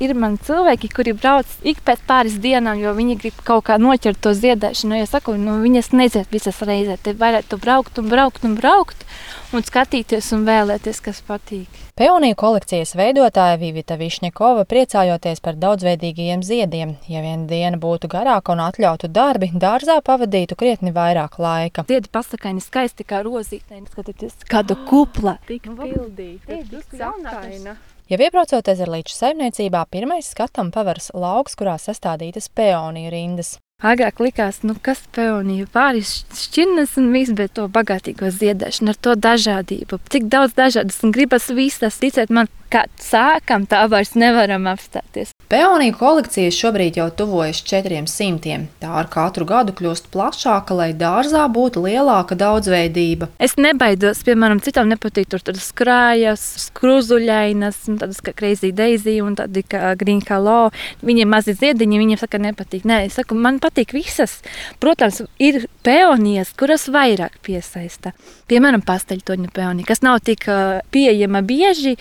Ir man cilvēki, kuri brauc ik pēc pāris dienām, jo viņi grib kaut kā noķert to ziedēšanu. Ja saku, viņas nezied visas reizē. Te varētu braukt un skatīties un vēlēties, kas patīk. Peoniju kolekcijas veidotāja Vivita Višņakova priecājoties par daudzveidīgajiem ziediem. Ja viena diena būtu garāka un atļautu darbi, dārzā pavadītu krietni vairāk laika. Ziedi pasakaini skaisti kā rozītē. Skatieties, kādu kupla. Tik pildīta, tik jaunaina. Jau iebraucot Ezerlīču saimniecībā, pirmais skatam paveras lauks, kurā sastādītas peoniju rindas. Agrāk likās, kas peonija pāris šķirnes un viss, bet to bagātīgo ziedēšanu, ar to dažādību. Cik daudz dažādas un gribas visas, ticiet man, kā sākam, tā vairs nevaram apstāties. Peoniju kolekcija šobrīd jau tuvojas 400. Tā ar katru gadu kļūst plašāka, lai dārzā būtu lielāka daudzveidība. Es nebaidos, piemēram, citām nepatīk tur skrājas, skruzuļainas, tādas kā Crazy Daisy un tādi kā Green Hello. Viņiem mazi ziediņi, viņiem saka nepatīk. Nē, es saku, man patīk visas. Protams, ir peonijas, kuras vairāk piesaista. Piemēram, pasteļtoņu peonija, kas nav tik pieejama bieži.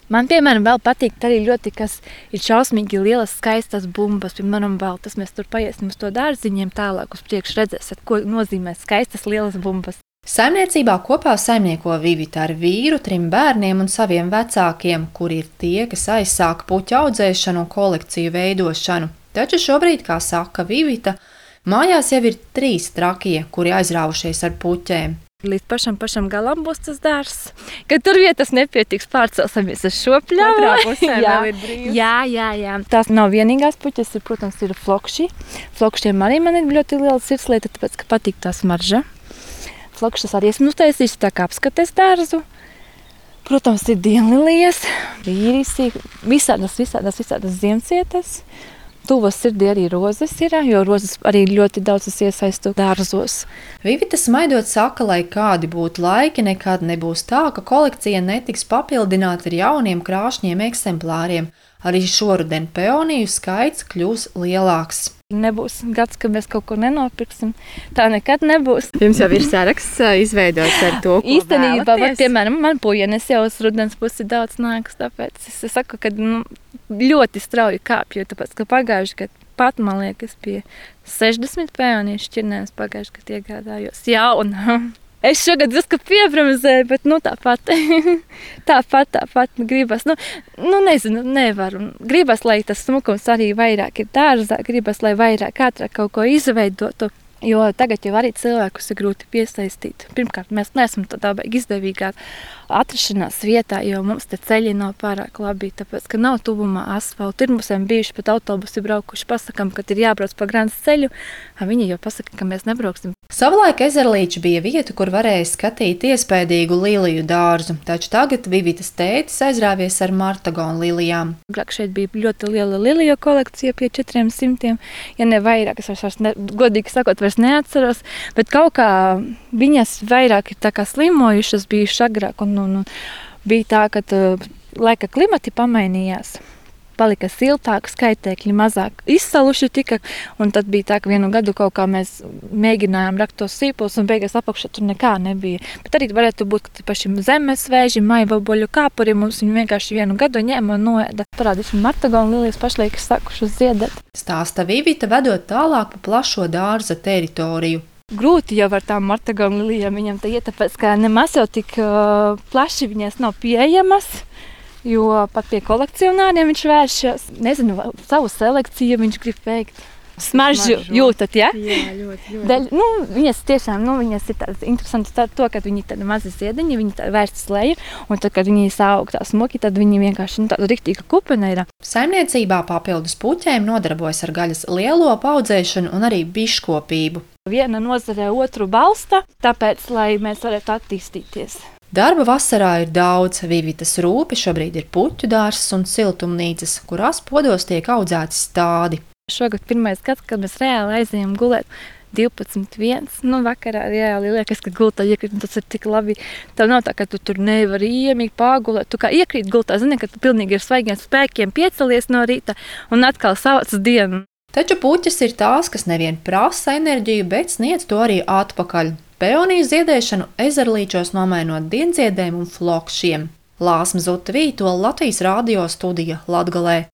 Man, piemēram, vēl patīk arī ļoti, kas ir šausmīgi lielas, skaistas bumbas. Piemēram, baltas. Mēs tur paiesim uz to dārziņiem tālāk uz priekšu redzēsiet, ko nozīmē skaistas lielas bumbas. Saimniecībā kopā saimnieko Vivita ar vīru, 3 bērniem un saviem vecākiem, kuri ir tie, kas aizsāka puķu audzēšanu un kolekciju veidošanu. Taču šobrīd, kā saka Vivita, mājās jau ir 3 trakie, kuri aizrāvušies ar puķēm. Līdz pašam galam būs tas dārzs. Kad tur vietas nepietiks, pārcelsimies uz šo pļavu. Katrā pusē vēl ir brīvs. Jā. Tās nav vienīgās puķes, protams, ir flokši. Flokšiem arī man ir ļoti liela sirdslieta, tāpēc, ka patīk tā smarža. Flokšas arī esmu uztaisījusi tā kā apskates dārzu. Protams, ir dienlilijas, vīrisi, visādas ziemcietas. Tuvas sirdī arī rozes ir, jo rozes arī ļoti daudzas iesaistu dārzos. Vivita smaidot saka, lai kādi būtu laiki, nekad nebūs tā, ka kolekcija netiks papildināta ar jauniem krāšņiem eksemplāriem. Arī šoruden peoniju skaits kļūs lielāks. Nebūs gads, ka mēs kaut ko nenopirksim. Tā nekad nebūs. Jums jau ir saraksts izveidots ar to, ko īstenībā, vēlaties? Piemēram, man pujenes jau uz rudens pusi daudz nākas, tāpēc es saku, ka ļoti strauji kāpju, tāpēc, ka pagājuši gadu pat, man liekas, pie 60 peoniju šķirnēs pagājuši gadu iegādājos jauna. Es šogad drusku piebremzēju, bet tāpat gribas. Nezinu, nevaru. Gribas, lai tas smukums arī vairāk ir dārzā, gribas, lai vairāk ātrāk kaut ko izveidotu. Jo tagad jau arī cilvēkus ir grūti piesaistīt. Pirmkārt, mēs neesam tādā izdevīgā atrašanās vietā, jo mums te ceļi nav pārāk labi, tāpēc, ka nav tuvumā asfaltu. Ir mums bijuši pat autobusi braukuši, pasakām, ka ir jābrauc pa Grants ceļu, viņi jau pasaka, ka mēs nebrauksim. Savulaik Ezerlīča bija vieta, kur varēja skatīt iespējīgu liliju dārzu, taču tagad Vivitas tētis aizrāvies ar martagonu lilijām. Agrāk šeit bija ļoti liela liliju kolekcija pie 400, ja ne vairāk, es vairs godīgi sakot, vairs neatceros, bet kaut kā viņas vairāk ir tā kā slimojušas bijušas agrāk, un bija tā, ka laika klimati pamainījās. Palika siltāk, skaitēkļi mazāk izsaluši tika, un tad bija tā, ka vienu gadu kaut kā mēs mēģinājām rakt tos sīpulus, un beigās apakšā tur nekā nebija. Bet arī varētu būt, ka pašiem zemes vēži, maivaboļu kāpuri mums viņi vienkārši vienu gadu ņēma un noēda. Parādīšu martagonu lilijas pašlaik sākušas ziedēt. Stāsta Vivita, vedot tālāk pa plašo dārza teritoriju. Grūti jau ar tām martagonu lilijām viņam tā iet, tāpēc, ka nemaz jau tik plaši viņas nav pieejamas. Jo pat pie kolekcionāriem viņš vēršas, nezinu, savu selekciju viņš grib veikt. Smaržu jūtat, ja? Jā, ļoti. Viņas tiešām, viņas ir tādas interesantas ar to, ka viņi tādi mazi ziediņi, viņi tā vērstas leju, un tad, kad viņi sāug tā smuki, tad viņi vienkārši tāda riktīga kupena ir. Saimniecībā papildus puķēm nodarbojas ar gaļas lielopu audzēšanu un arī biškopību. Viena nozare otru balsta, tāpēc, lai mēs varētu attīstīties. Darba vasarā ir daudz. Vivitas rūpe šobrīd ir puķu dārzs un siltumnīcas, kurās podos tiek audzēti stādi. Šogad pirmais gads, kad mēs reāli aizējām gulēt 12.1. Vakarā reāli liekas, ka gultā iekrīt, tas ir tik labi. Tev nav tā, ka tu tur nevari iemīgi pāgulēt. Tu kā iekrīt gultā, zini, ka tu pilnīgi ar svaigiem spēkiem piecelies no rīta un atkal savāc dienu. Taču puķes ir tās, kas nevien prasa enerģiju, bet sniedz to arī atpakaļ. Peoniju ziedēšanu Ezerlīčos nomainot dienziedēm un flokšiem. Lāsma Zuta Vītola, Latvijas radio studija Latgalē.